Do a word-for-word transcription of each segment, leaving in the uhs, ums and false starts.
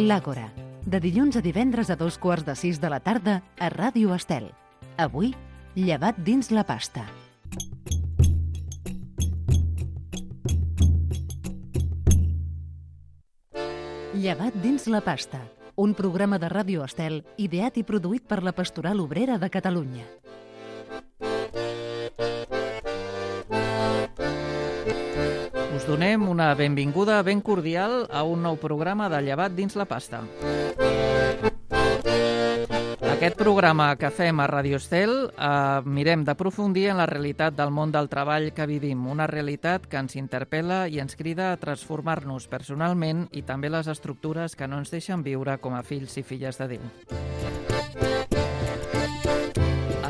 L'Àgora, de dilluns a divendres a dos quarts de sis de la tarda a Ràdio Estel. Avui, llevat dins la pasta. Llevat dins la pasta, un programa de Ràdio Estel ideat i produït per la Pastoral Obrera de Catalunya. Us donem una benvinguda ben cordial a un nou programa de Llevat dins la pasta. Aquest programa que fem a Ràdio Estel eh, mirem d'aprofundir en la realitat del món del treball que vivim, una realitat que ens interpel·la i ens crida a transformar-nos personalment i també les estructures que no ens deixen viure com a fills i filles de Déu.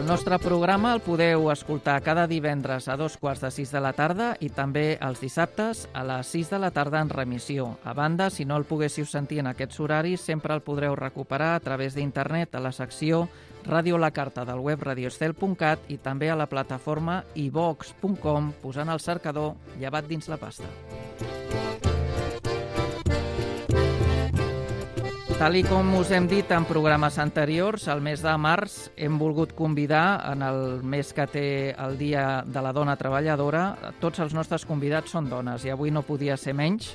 El nostre programa el podeu escoltar cada divendres a dos quarts de sis de la tarda i també els dissabtes a les sis de la tarda en remissió. A banda, si no el poguéssiu sentir en aquests horaris, sempre el podreu recuperar a través d'internet a la secció Ràdio la Carta del web radioestel punt cat i també a la plataforma i vox punt com posant al cercador Llevat dins la pasta. Tal i com us hem dit en programes anteriors, el mes de març hem volgut convidar, en el mes que té el Dia de la Dona Treballadora, tots els nostres convidats són dones i avui no podia ser menys.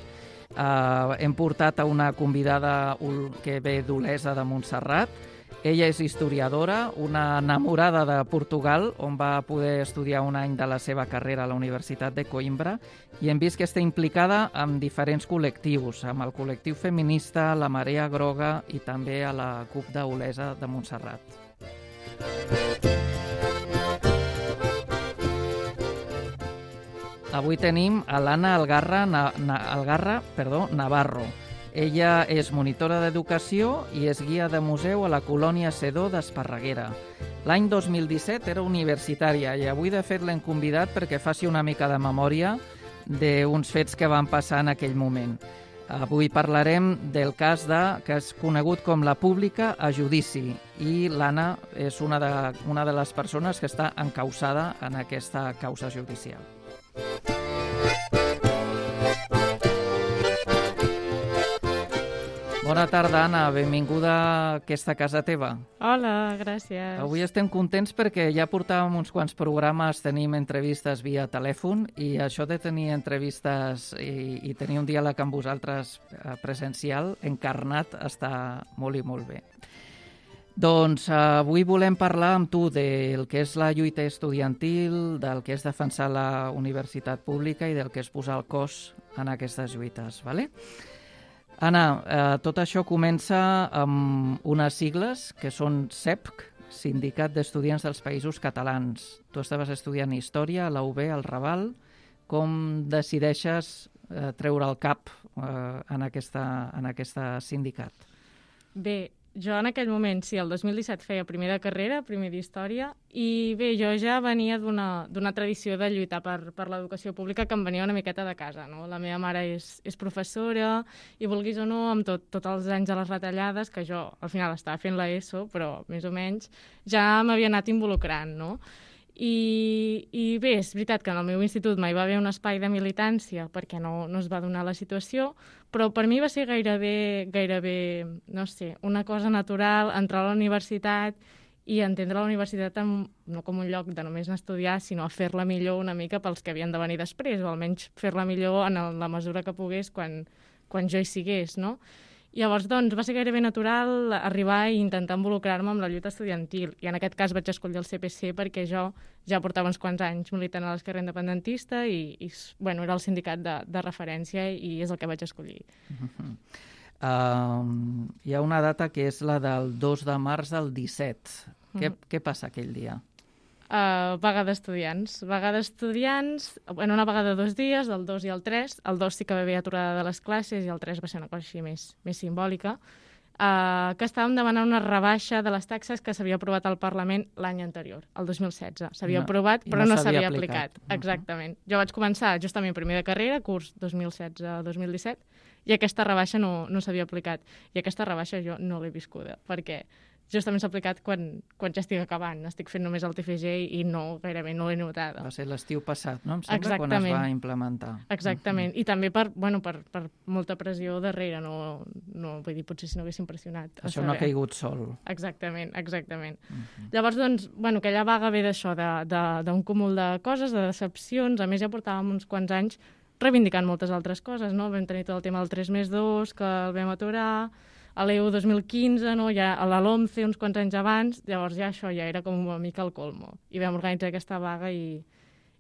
Uh, hem portat a una convidada que ve d'Olesa de Montserrat. Ella és historiadora, una enamorada de Portugal, on va poder estudiar un any de la seva carrera a la Universitat de Coimbra, i hem vist que està implicada en diferents col·lectius, amb el col·lectiu feminista, la Marea Groga i també a la CUP d'Olesa de Montserrat. Avui tenim a l'Anna Algarra, Na, Na, Algarra perdó, Navarro. Ella és monitora d'educació i és guia de museu a la colònia Sedó d'Esparreguera. L'any dos mil disset era universitària i avui, de fet, l'hem convidat perquè faci una mica de memòria d'uns fets que van passar en aquell moment. Avui parlarem del cas de, que és conegut com la pública a judici, i l'Anna és una de, una de les persones que està encausada en aquesta causa judicial. Bona tarda, Anna. Benvinguda a aquesta casa teva. Hola, gràcies. Avui estem contents perquè ja portàvem uns quants programes, tenim entrevistes via telèfon, i això de tenir entrevistes i, i tenir un diàleg amb vosaltres presencial, encarnat, està molt i molt bé. Doncs avui volem parlar amb tu del que és la lluita estudiantil, del que és defensar la universitat pública i del que és posar el cos en aquestes lluites, ¿vale? Anna, eh, tot això comença amb unes sigles que són S E P C, Sindicat d'Estudiants dels Països Catalans. Tu estaves estudiant Història a la U B, al Raval. Com decideixes eh, treure el cap eh, en, aquesta, en aquesta sindicat? Bé, jo en aquell moment, sí, el dos mil disset feia primer de carrera, primer d'Història, i bé, jo ja venia d'una tradició de lluitar per, per l'educació pública que em venia una miqueta de casa, no? La meva mare és, és professora i, vulguis o no, amb tot, tots els anys de les retallades, que jo al final estava fent l'ESO, però més o menys ja m'havia anat involucrant, no? I, i bé, és veritat que en el meu institut mai va haver un espai de militància perquè no, no es va donar la situació, però per mi va ser gairebé, gairebé, no sé, una cosa natural entrar a la universitat i entendre la universitat amb, no com un lloc de només anar a estudiar, sinó a fer-la millor una mica pels que havien de venir després, o almenys fer-la millor en la mesura que pogués quan, quan jo hi sigués, no? Llavors, doncs, va ser gairebé natural arribar i intentar involucrar-me amb la lluita estudiantil. I en aquest cas vaig escollir el C P C perquè jo ja portava uns quants anys militant a l'esquerra independentista i, i bueno, era el sindicat de, de referència i és el que vaig escollir. Uh-huh. uh, hi ha una data que és la del dos de març del disset. Uh-huh. Què, què passa aquell dia? Uh, vaga d'estudiants. Vaga d'estudiants, bueno, una vaga de dos dies, del dos i el tres. El dos sí que va haver aturada de les classes i el tres va ser una cosa així més, més simbòlica, uh, que estàvem demanant una rebaixa de les taxes que s'havia aprovat al Parlament l'any anterior, el dos mil setze. S'havia no, aprovat, però no, no s'havia aplicat. aplicat. Exactament. Jo vaig començar justament primer de carrera, curs dos mil setze dos mil disset, i aquesta rebaixa no, no s'havia aplicat. I aquesta rebaixa jo no l'he viscuda, perquè justament s'ha aplicat quan, quan ja estic acabant. Estic fent només el T F G i no, gairebé no l'he notada. Va ser l'estiu passat, no? Em sembla, Exactament. quan es va implementar. Exactament. Mm-hmm. I també per, bueno, per, per molta pressió darrere. No, no, vull dir, potser si no haguéssim pressionat. Això no ha caigut sol. Exactament, exactament. Mm-hmm. Llavors, doncs, bueno, aquella vaga ve d'això, d'un cúmul de coses, de decepcions. A més, ja portàvem uns quants anys reivindicant moltes altres coses, no? Vam tenir tot el tema del tres més dos, que el vam aturar, a l'E U dos mil quinze, no? Ja a la LOMCE uns quants anys abans, llavors ja això ja era com una mica el colmo. I vam organitzar aquesta vaga i,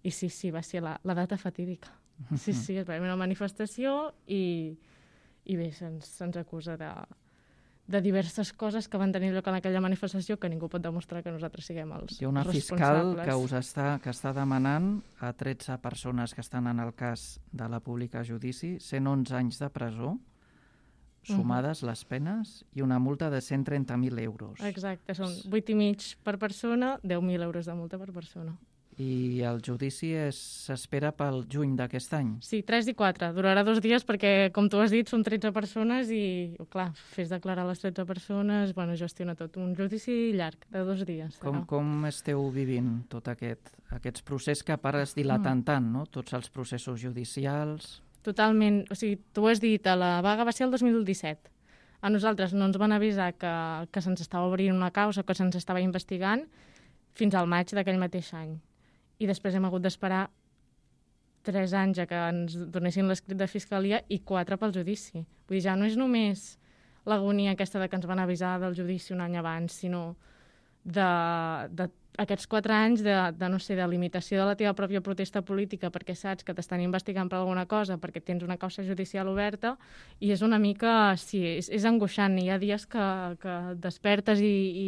i sí, sí, va ser la, la data fatídica. Sí, sí, es va haver una manifestació i, i bé, se'ns se acusa de, de diverses coses que van tenir lloc en aquella manifestació que ningú pot demostrar que nosaltres siguem els responsables. Hi ha una fiscal que us està, que està demanant a tretze persones que estan en el cas de la pública a judici cent onze anys de presó, sumades uh-huh. les penes, i una multa de cent trenta mil euros. Exacte, són vuit i mig per persona, deu mil euros de multa per persona. I el judici s'espera pel juny d'aquest any? Sí, tres i quatre. Durarà dos dies perquè, com tu has dit, són tretze persones i, clar, fes declarar les tretze persones, bueno, gestiona tot. Un judici llarg, de dos dies. Com, com esteu vivint tot aquest, aquests processos que a part es dilaten mm. tant, no? Tots els processos judicials... Totalment. O sigui, tu ho has dit, la vaga va ser el dos mil disset. A nosaltres no ens van avisar que, que se'ns estava obrint una causa, que se'ns estava investigant, fins al maig d'aquell mateix any. I després hem hagut d'esperar tres anys a que ens donessin l'escrit de fiscalia i quatre pel judici. Vull dir, ja no és només l'agonia aquesta de que ens van avisar del judici un any abans, sinó de, de aquests quatre anys de, de, no sé, de limitació de la teva pròpia protesta política perquè saps que t'estan investigant per alguna cosa, perquè tens una causa judicial oberta, i és una mica, sí, és, és angoixant. Hi ha dies que, que despertes i, i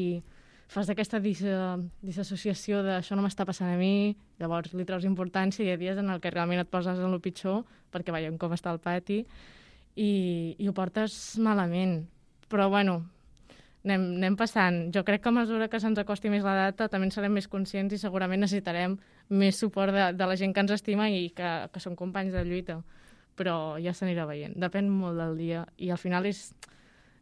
fas aquesta dis, disassociació de això no m'està passant a mi, llavors li treus importància, i hi ha dies en el que realment et poses en el pitjor, perquè veiem com està el pati, i, i ho portes malament. Però, bueno, Anem, anem passant. Jo crec que a mesura que se'ns acosti més la data també en serem més conscients i segurament necessitarem més suport de, de la gent que ens estima i que, que són companys de lluita. Però ja s'anirà veient. Depèn molt del dia. I al final és...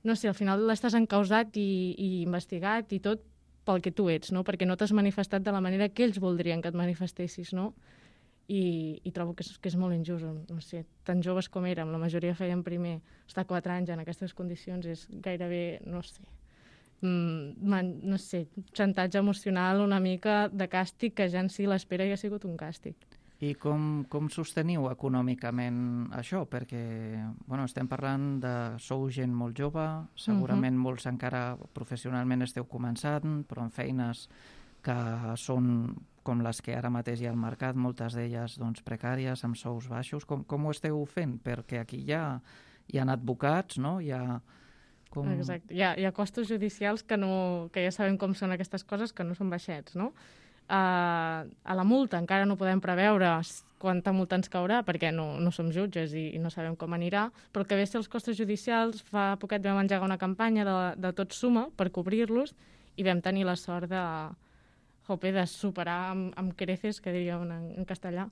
No sé, al final l'estàs encausat i, i investigat i tot pel que tu ets, no? Perquè no t'has manifestat de la manera que ells voldrien que et manifestessis, no? I, i trobo que és, que és molt injust. No sé, tan joves com érem, la majoria feien primer. Estar quatre anys en aquestes condicions és gairebé, no sé... Man, no sé, xantatge emocional, una mica de càstig que ja en si l'espera ja ha sigut un càstig. I com, com sosteniu econòmicament això? Perquè bueno, estem parlant de... Sou gent molt jove, segurament uh-huh. molts encara professionalment esteu començant, però en feines que són com les que ara mateix hi ha al mercat, moltes d'elles doncs, precàries, amb sous baixos. Com, com ho esteu fent? Perquè aquí hi ha, hi ha advocats, no? Hi ha... Com... Exacte. Hi ha, hi ha costos judicials que, no, que ja sabem com són aquestes coses, que no són baixets, no? Uh, a la multa encara no podem preveure quanta multa ens caurà, perquè no, no som jutges i, i no sabem com anirà, però el que ve a ser els costos judicials, fa poquet vam engegar una campanya de, de Tot Suma per cobrir-los i vam tenir la sort de, jope, de superar amb, amb creces, que diríem en, en castellà,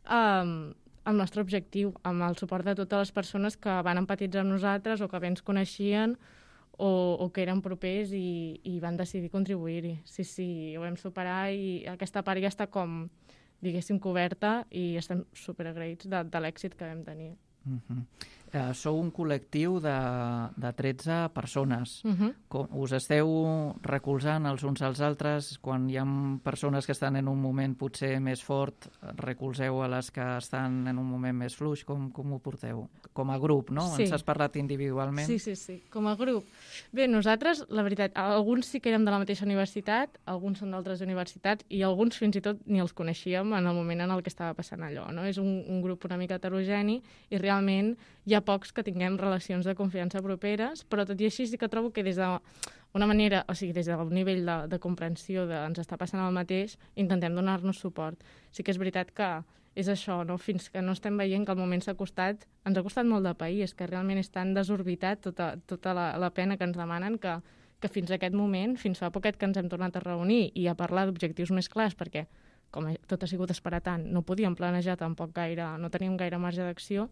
um, el nostre objectiu, amb el suport de totes les persones que van empatitzar amb nosaltres o que bé ens coneixien o, o que eren propers i, i van decidir contribuir-hi. Sí, sí, ho vam superar i aquesta part ja està com, diguéssim, coberta i estem superagraïts de, de l'èxit que vam tenir. Uh-huh. Uh, sou un col·lectiu de, de tretze persones. Uh-huh. Com, us esteu recolzant els uns als altres? Quan hi ha persones que estan en un moment potser més fort, recolzeu a les que estan en un moment més fluix? Com, com ho porteu? Com a grup, no? Sí. Ens has parlat individualment? Sí, sí, sí, com a grup. Bé, nosaltres, la veritat, alguns sí que érem de la mateixa universitat, alguns són d'altres universitats i alguns fins i tot ni els coneixíem en el moment en el que estava passant allò, no? És un, un grup una mica heterogeni i realment hi ha pocs que tinguem relacions de confiança properes, però tot i així sí que trobo que des d'una manera, o sigui, des d'un nivell de, de comprensió de ens està passant el mateix, intentem donar-nos suport. Sí que és veritat que és això, no? Fins que no estem veient que el moment s'ha costat, ens ha costat molt de país, que realment és tan desorbitat tota, tota la, la pena que ens demanen que, que fins a aquest moment, fins fa poquet que ens hem tornat a reunir i a parlar d'objectius més clars, perquè com tot ha sigut esperar tant, no podíem planejar tampoc gaire, no teníem gaire marge d'acció.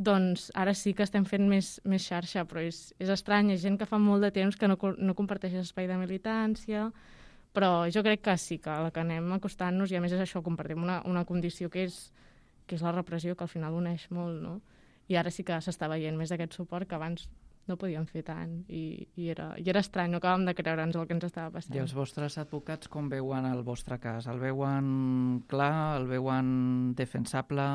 doncs ara sí que estem fent més, més xarxa, però és, és estrany, hi ha gent que fa molt de temps que no, no comparteix espai de militància, però jo crec que sí, que a la que anem acostant-nos, i a més és això, compartim una, una condició que és, que és la repressió, que al final uneix molt, no? I ara sí que s'està veient més d'aquest suport que abans no podíem fer tant, i, i, era, i era estrany, no acabàvem de creure'ns el que ens estava passant. I els vostres advocats com veuen el vostre cas? El veuen clar? El veuen defensable?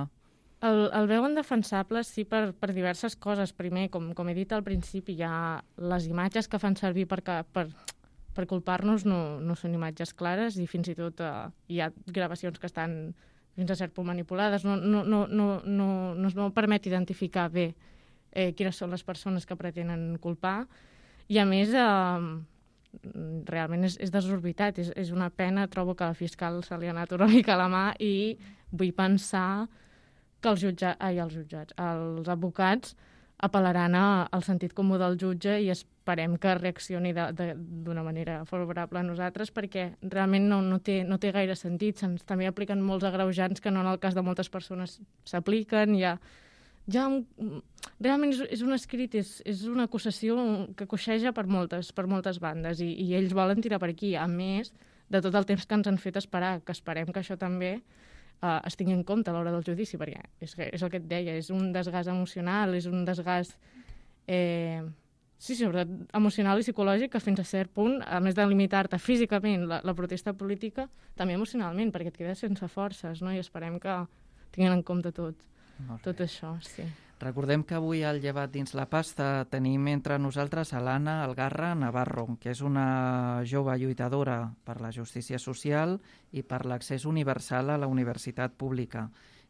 El, el veuen defensable, sí, per, per diverses coses. Primer, com, com he dit al principi, hi ha les imatges que fan servir per, per, per culpar-nos no, no són imatges clares, i fins i tot eh, hi ha gravacions que estan fins a cert punt manipulades. No, no, no, no, no, no es permet identificar bé eh, quines són les persones que pretenen culpar, i a més eh, realment és, és desorbitat, és, és una pena. Trobo que al fiscal se li ha anat una mica a la mà, i vull pensar que els jutjats, ai, els jutjats, els advocats apel·laran a, al sentit comú del jutge, i esperem que reaccioni d'una manera favorable a nosaltres, perquè realment no, no, té, no té gaire sentit. Se'ns també apliquen molts agreujants que no en el cas de moltes persones s'apliquen. Ja, ja, realment és, és un escrit, és, és una acusació que coixeja per moltes, per moltes bandes, i, i ells volen tirar per aquí, a més de tot el temps que ens han fet esperar, que esperem que això també Uh, es tingui en compte a l'hora del judici, perquè és, és el que et deia, és un desgast emocional, és un desgast eh, sí, sobretot emocional i psicològic, que fins a cert punt, a més de limitar-te físicament la, la protesta política, també emocionalment, perquè et quedes sense forces, no? I esperem que tinguin en compte tot, tot això, sí. Recordem que avui al Llevat dins la pasta tenim entre nosaltres a l'Anna Algarra Navarro, que és una jove lluitadora per la justícia social i per l'accés universal a la universitat pública.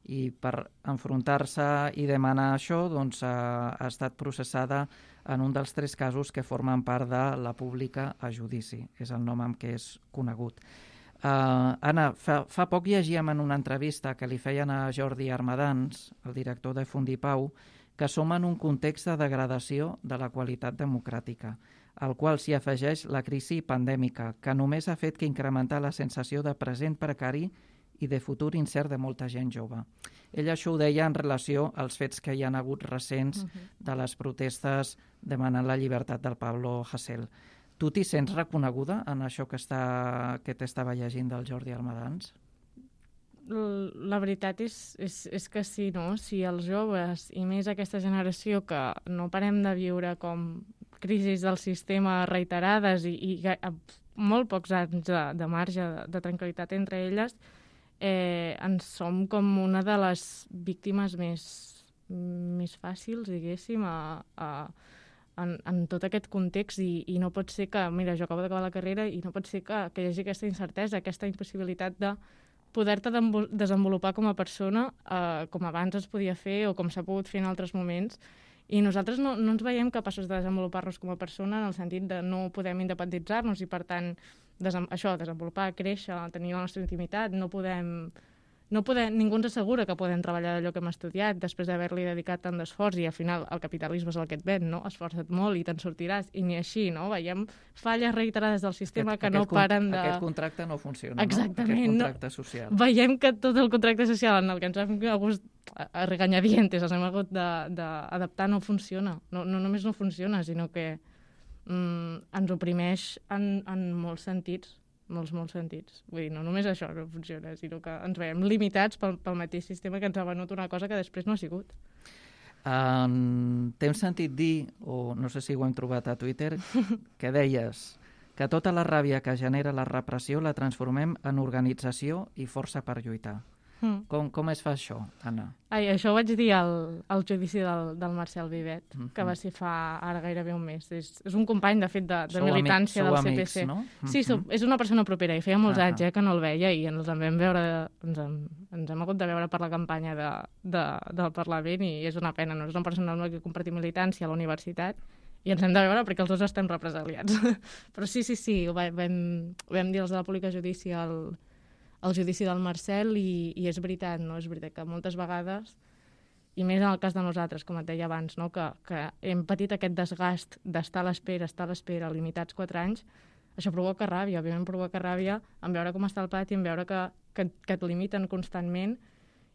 I per enfrontar-se i demanar això, doncs, ha, ha estat processada en un dels tres casos que formen part de la pública a judici. És el nom amb què és conegut. Uh, Anna, fa, fa poc llegíem en una entrevista que li feien a Jordi Armadans, el director de Fundipau, que som en un context de degradació de la qualitat democràtica, al qual s'hi afegeix la crisi pandèmica, que només ha fet que incrementar la sensació de present precari i de futur incert de molta gent jove. Ella això ho deia en relació als fets que hi han hagut recents uh-huh. de les protestes demanant la llibertat del Pablo Hasél. Tu t'hi sents reconeguda en això que, està, que t'estava llegint del Jordi Armadans? La veritat és, és, és que sí, no? Si els joves, i més aquesta generació que no parem de viure com crisis del sistema reiterades i, i molt pocs anys de, de marge de, de tranquil·litat entre elles, eh, ens som com una de les víctimes més, més fàcils, diguéssim, a... a En, en tot aquest context, i, i no pot ser que, mira, jo acabo d'acabar la carrera i no pot ser que, que hi hagi aquesta incertesa, aquesta impossibilitat de poder-te desenvolupar com a persona eh, com abans es podia fer o com s'ha pogut fer en altres moments, i nosaltres no, no ens veiem capaços de desenvolupar-nos com a persona en el sentit de no podem independitzar-nos i, per tant, desem, això, desenvolupar, créixer, tenir la nostra intimitat, no podem... No podem, ningú ens assegura que podem treballar d'allò que hem estudiat després d'haver-li dedicat tant d'esforç, i al final el capitalisme és el que et ven, no? Esforça't molt i te'n sortiràs, i ni així, no? Veiem falles reiterades del sistema aquest, que no paren de... Aquest contracte no funciona, exactament, no? Aquest contracte social. No? Veiem que tot el contracte social en el que ens hem hagut a regañadientes, ens hem hagut d'adaptar, no funciona. No, no només no funciona, sinó que mm, ens oprimeix en, en molts sentits. molts, molts sentits. Vull dir, no només això no funciona, sinó que ens veiem limitats pel, pel mateix sistema que ens ha venut una cosa que després no ha sigut. Um, T'hem sentit dir, o no sé si ho hem trobat a Twitter, que deies que tota la ràbia que genera la repressió la transformem en organització i força per lluitar. Mm. Com, com es fa això, Anna? Ai, això ho vaig dir al, al judici del, del Marcel Vivet, mm-hmm. que va ser fa ara gairebé un mes. És, és un company, de fet, de, de militància amics, del C P C. No? Sí, mm-hmm. sou, és una persona propera, i feia molts ah, anys eh, que no el veia, i ens en vam veure, ens, en, ens hem hagut de veure per la campanya de, de, del Parlament, i és una pena, no? És una persona amb la que compartim militància a la universitat, i ens hem de veure perquè els dos estem represaliats. Però sí, sí, sí, ho vam, vam dir els de la Pública Judici al el judici del Marcel, i, i és veritat, no? És veritat que moltes vegades, i més en el cas de nosaltres, com et deia abans, no? que, que hem patit aquest desgast d'estar a l'espera, estar a l'espera, limitats quatre anys, això provoca ràbia, òbviament provoca ràbia en veure com està el pati, en veure que, que, que et limiten constantment,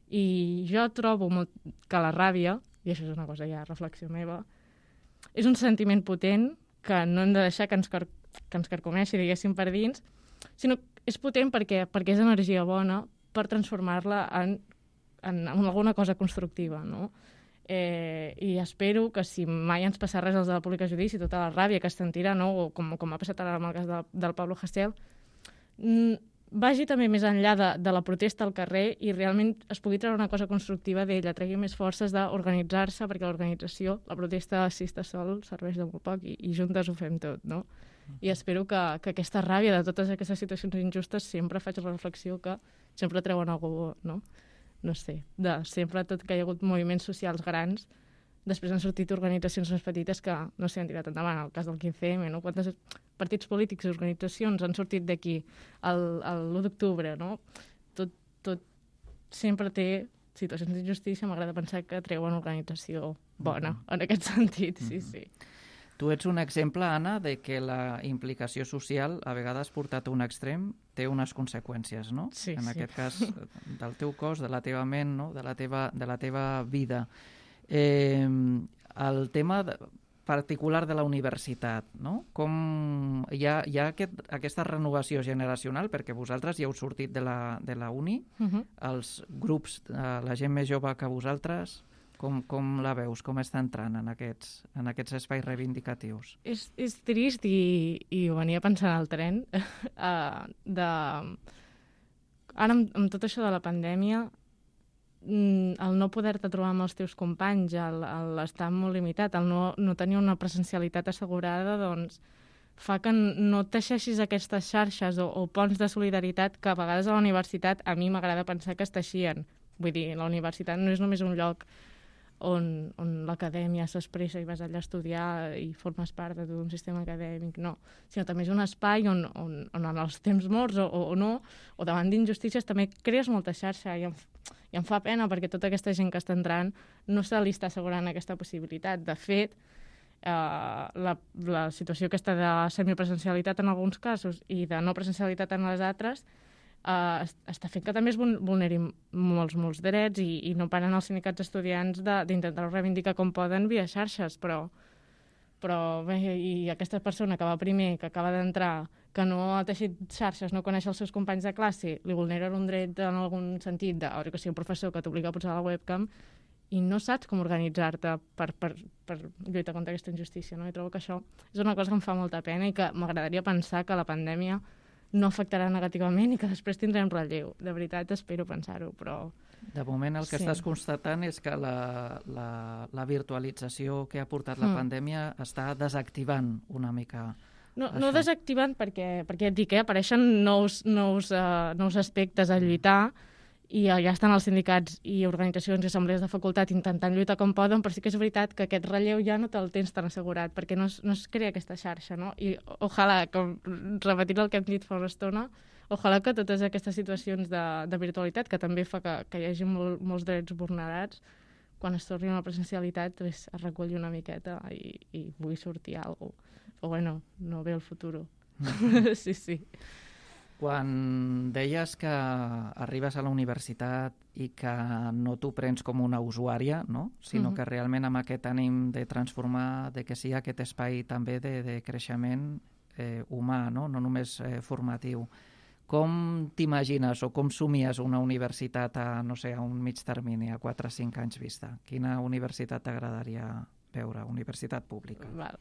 i jo trobo molt que la ràbia i això és una cosa ja reflexió meva, és un sentiment potent que no hem de deixar que ens, car que ens carcomeixi, diguéssim, per dins, sinó que és potent perquè, perquè és energia bona per transformar-la en, en, en alguna cosa constructiva, no? Eh, I espero que si mai ens passa res als de la Pública Judici, tota la ràbia que es sentirà, no? O com, com ha passat ara amb el cas de, del Pablo Hasél, vagi també més enllà de, de la protesta al carrer i realment es pugui treure una cosa constructiva d'ella, tregui més forces d'organitzar-se, perquè l'organització, la protesta si està sol, serveix de molt poc i, i juntes ho fem tot, no? I espero que, que aquesta ràbia de totes aquestes situacions injustes sempre faig la reflexió que sempre treuen algú, no? No sé, de sempre tot que hi ha hagut moviments socials grans, després han sortit organitzacions més petites que no s'hi han tirat endavant, el cas del quinze eme, no? Quantes partits polítics i organitzacions han sortit d'aquí l'u d'octubre, no? Tot, tot sempre té situacions d'injustícia, m'agrada pensar que treuen organització bona, en aquest sentit, sí, sí. Tu ets un exemple, Anna, de que la implicació social, a vegades portat a un extrem, té unes conseqüències, no? Sí, en sí. aquest cas, del teu cos, de la teva ment, no? de, la teva, de la teva vida. Eh, el tema de, particular de la universitat, no? Com hi ha, hi ha aquest, aquesta renovació generacional, perquè vosaltres ja heu sortit de la, de la uni, Uh -huh. els grups, eh, la gent més jove que vosaltres, com, com la veus? Com està entrant en aquests, en aquests espais reivindicatius? És, és trist i, i ho venia pensant al tren. uh, de... Ara, amb, amb tot això de la pandèmia, el no poder-te trobar amb els teus companys, l'estar molt limitat, el no, no tenir una presencialitat assegurada, doncs fa que no teixeixis aquestes xarxes o, o ponts de solidaritat que a vegades a la universitat a mi m'agrada pensar que es teixien. Vull dir, la universitat no és només un lloc on, on l'acadèmia s'expressa i vas allà a estudiar i formes part de tot un sistema acadèmic, no. Sinó també és un espai on, on, on en els temps morts o, o no, o davant d'injustícies també crees molta xarxa i em, i em fa pena perquè tota aquesta gent que està entrant no se li està assegurant aquesta possibilitat. De fet, eh, la, la situació aquesta de semipresencialitat en alguns casos i de no presencialitat en les altres Uh, està fent que també es vulnerin molts, molts drets i, i no paren els sindicats estudiants d'intentar reivindicar com poden via xarxes, però, però bé, i aquesta persona que va primer, que acaba d'entrar, que no ha teixit xarxes, no coneix els seus companys de classe, li vulneren un dret en algun sentit, de, o que sigui un professor que t'obliga a posar la webcam i no saps com organitzar-te per, per, per lluitar contra aquesta injustícia, no? I trobo que això és una cosa que em fa molta pena i que m'agradaria pensar que la pandèmia no afectarà negativament i que després tindrem relleu. De veritat, espero pensar-ho, però... De moment el que sí. estàs constatant és que la, la, la virtualització que ha portat la mm. pandèmia està desactivant una mica no, això. No desactivant perquè, perquè et dic, eh, apareixen nous, nous, uh, nous aspectes a lluitar i ja estan els sindicats i organitzacions i assemblees de facultat intentant lluitar com poden, però sí que és veritat que aquest relleu ja no te'l tens tan assegurat, perquè no es, no es crea aquesta xarxa, no? I ojalà, com repetint el que hem dit fa una estona, ojalà que totes aquestes situacions de, de virtualitat, que també fa que, que hi hagi molt, molts drets vulnerats, quan es torni a la presencialitat pues, es reculli una miqueta i, i pugui sortir alguna cosa. Però bueno, no ve el futur. Mm. sí, sí. Quan deies que arribes a la universitat i que no t'ho prens com una usuària, no? Sinó uh-huh. que realment amb aquest ànim de transformar, de que sigui aquest espai també de, de creixement eh, humà, no? No només eh, formatiu. Com t'imagines o com somies una universitat a, no sé, a un mig termini, a quatre o cinc anys vista? Quina universitat t'agradaria veure? Universitat pública. Val.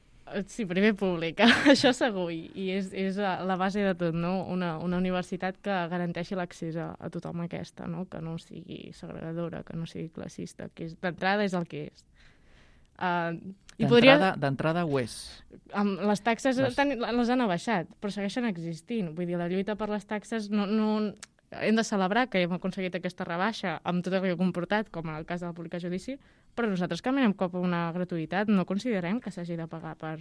Sí, primer pública, això segur, i és, és la base de tot, no? Una, una universitat que garanteixi l'accés a, a tothom aquesta, no? Que no sigui segregadora, que no sigui classista, que és, d'entrada és el que és. Uh, D'entrada podria... ho és. Um, les taxes les... Tan, les han abaixat, però segueixen existint. Vull dir, la lluita per les taxes no... no... Hem de celebrar que hem aconseguit aquesta rebaixa amb tot el que ha comportat, com en el cas de la Pública Judici, però nosaltres caminem cap a una gratuïtat. No considerem que s'hagi de pagar per,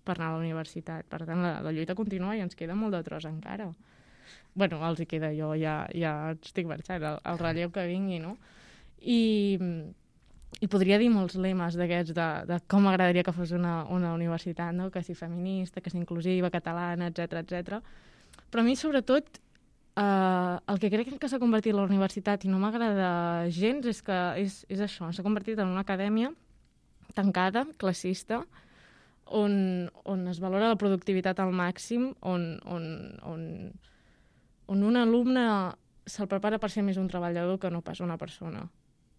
per anar a la universitat. Per tant, la, la lluita continua i ens queda molt de tros encara. Bueno, els hi queda, jo ja, ja estic marxant, el, el relleu que vingui, no? I, i podria dir molts lemes d'aquests de, de com m'agradaria que fos una, una universitat, no? Que sigui feminista, que sigui inclusiva, catalana, etcètera, etcètera. Però a mi, sobretot, Uh, el que crec que s'ha convertit la universitat i no m'agrada gens és que és, és això, s'ha convertit en una acadèmia tancada, classista, on, on es valora la productivitat al màxim, on, on, on, on un alumne se'l prepara per ser més un treballador que no pas una persona.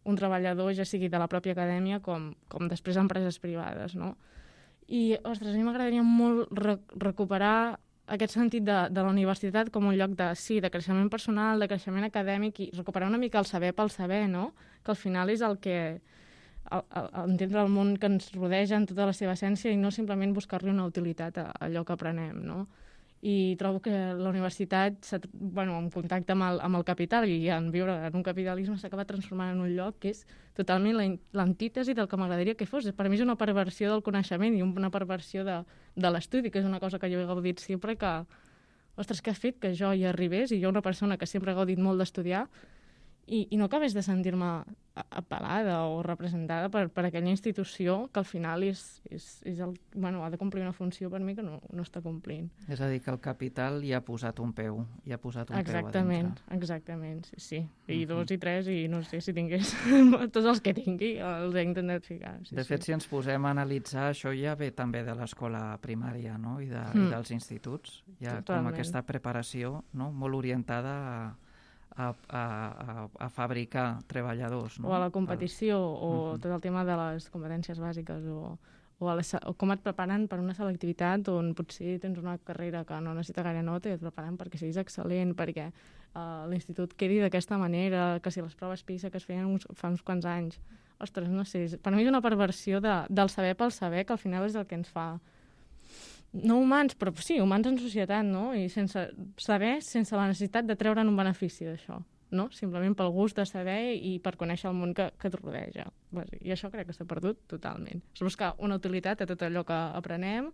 Un treballador, ja sigui de la pròpia acadèmia com, com després empreses privades, no? I, ostres, a mi m'agradaria molt re recuperar aquest sentit de, de la universitat com un lloc de, sí, de creixement personal, de creixement acadèmic, i recuperar una mica el saber pel saber, no? Que al final és el que... El, el, entendre el món que ens rodeja en tota la seva essència i no simplement buscar-li una utilitat a, a allò que aprenem, no? I trobo que la universitat, bueno, en contacte amb el, amb el capital i en viure en un capitalisme, s'acaba transformant en un lloc que és totalment l'antítesi del que m'agradaria que fos. Per mi és una perversió del coneixement i una perversió de, de l'estudi, que és una cosa que jo he gaudit sempre, que, ostres, què ha fet que jo hi arribés, i jo una persona que sempre he gaudit molt d'estudiar, i, i no acabés de sentir-me apel·lada o representada per, per aquella institució que al final és, és, és el, bueno, ha de complir una funció per mi que no, no està complint. És a dir, que el capital hi ha posat un peu, hi ha posat un exactament, peu a dintre. Exactament, sí, sí. I uh-huh. dos i tres, i no sé si tingués tots els que tingui, els he intentat ficar. Sí, de fet, sí. si ens posem a analitzar, això ja ve també de l'escola primària, no? I, de, mm. i dels instituts. Hi ha Totalment. Com aquesta preparació, no? Molt orientada a A, a, a, a fabricar treballadors. No? O a la competició, o uh-huh. tot el tema de les competències bàsiques, o, o, a les, o com et preparen per una selectivitat on potser tens una carrera que no necessita gaire nota i et preparen perquè siguis excel·lent, perquè uh, l'institut quedi d'aquesta manera, que si les proves PISA que es feien uns, fa uns quants anys. Ostres, no sé, per mi és una perversió de, del saber pel saber, que al final és el que ens fa... No humans, però sí, humans en societat, no? I sense saber, sense la necessitat de treure'n un benefici d'això, no? Simplement pel gust de saber i per conèixer el món que, que et rodeja. I això crec que s'ha perdut totalment. És buscar una utilitat a tot allò que aprenem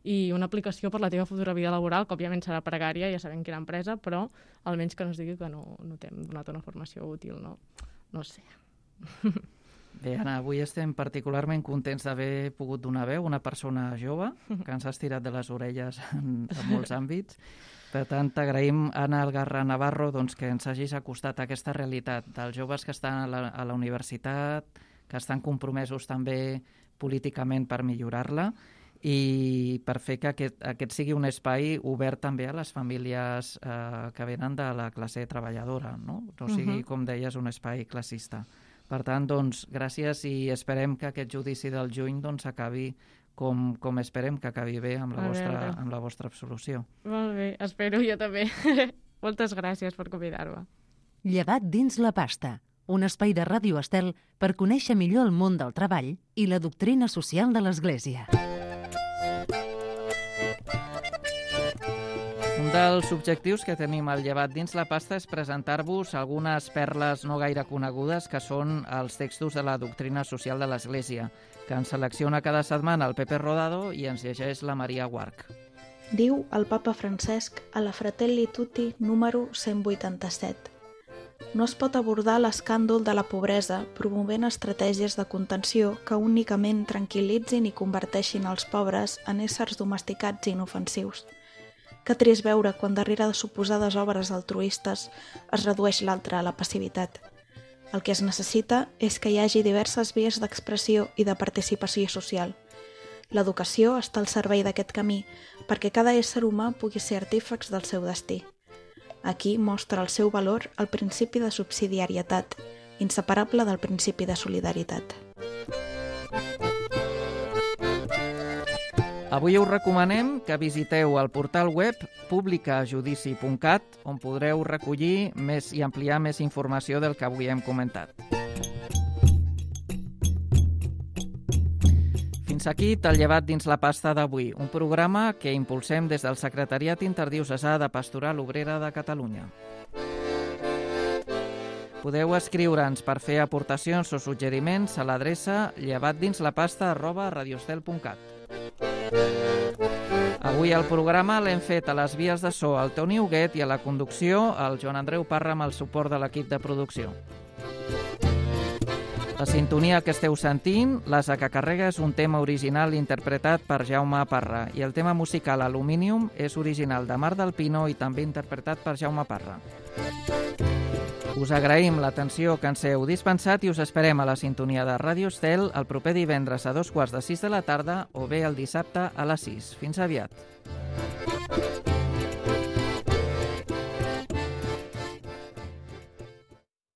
i una aplicació per la teva futura vida laboral, que òbviament serà precària, ja sabem quina empresa, però almenys que no es digui que no, no t'hem donat una formació útil, no? No sé. Bé, Anna, avui estem particularment contents d'haver pogut donar veu a una persona jove que ens ha estirat de les orelles en, en molts àmbits. Per tant, t'agraïm, Anna Algarra Navarro, doncs, que ens hagis acostat a aquesta realitat dels joves que estan a la, a la universitat, que estan compromesos també políticament per millorar-la i per fer que aquest, aquest sigui un espai obert també a les famílies eh, que venen de la classe treballadora, no? No sigui, uh-huh. com deies, un espai classista. Per tant, doncs, gràcies i esperem que aquest judici del juny doncs, acabi com, com esperem que acabi bé amb la, vostra, amb la vostra absolució. Molt bé, espero jo també. Moltes gràcies per convidar-me. Llevat dins la pasta, un espai de Ràdio Estel per conèixer millor el món del treball i la doctrina social de l'Església. Un dels objectius que tenim al Llevat dins la pasta és presentar-vos algunes perles no gaire conegudes que són els textos de la doctrina social de l'Església, que ens selecciona cada setmana el Pepe Rodado i ens llegeix la Maria Guarch. Diu el papa Francesc a la Fratelli Tutti número cent vuitanta-set. No es pot abordar l'escàndol de la pobresa promovent estratègies de contenció que únicament tranquil·litzin i converteixin els pobres en éssers domesticats i inofensius. Que trist veure quan darrere de suposades obres altruistes es redueix l'altre a la passivitat. El que es necessita és que hi hagi diverses vies d'expressió i de participació social. L'educació està al servei d'aquest camí perquè cada ésser humà pugui ser artífex del seu destí. Aquí mostra el seu valor el principi de subsidiarietat, inseparable del principi de solidaritat. Avui us recomanem que visiteu el portal web publicajudici punt cat, on podreu recollir més i ampliar més informació del que avui hem comentat. Fins aquí t'ha llevat dins la pasta d'avui, un programa que impulsem des del Secretariat Interdiocesà de Pastoral Obrera de Catalunya. Podeu escriure'ns per fer aportacions o suggeriments a l'adreça llevatdinslapasta arroba radiostel punt cat. Avui el programa l'hem fet a les vies de so al Toni Huguet i a la conducció al Joan Andreu Parra amb el suport de l'equip de producció. La sintonia que esteu sentint, l'Asa que carrega, és un tema original interpretat per Jaume Parra i el tema musical Aluminium és original de Mar del Pino i també interpretat per Jaume Parra. Us agraïm l'atenció que ens heu dispensat i us esperem a la sintonia de Ràdio Estel el proper divendres a dos quarts de sis de la tarda o bé el dissabte a les sis. Fins aviat.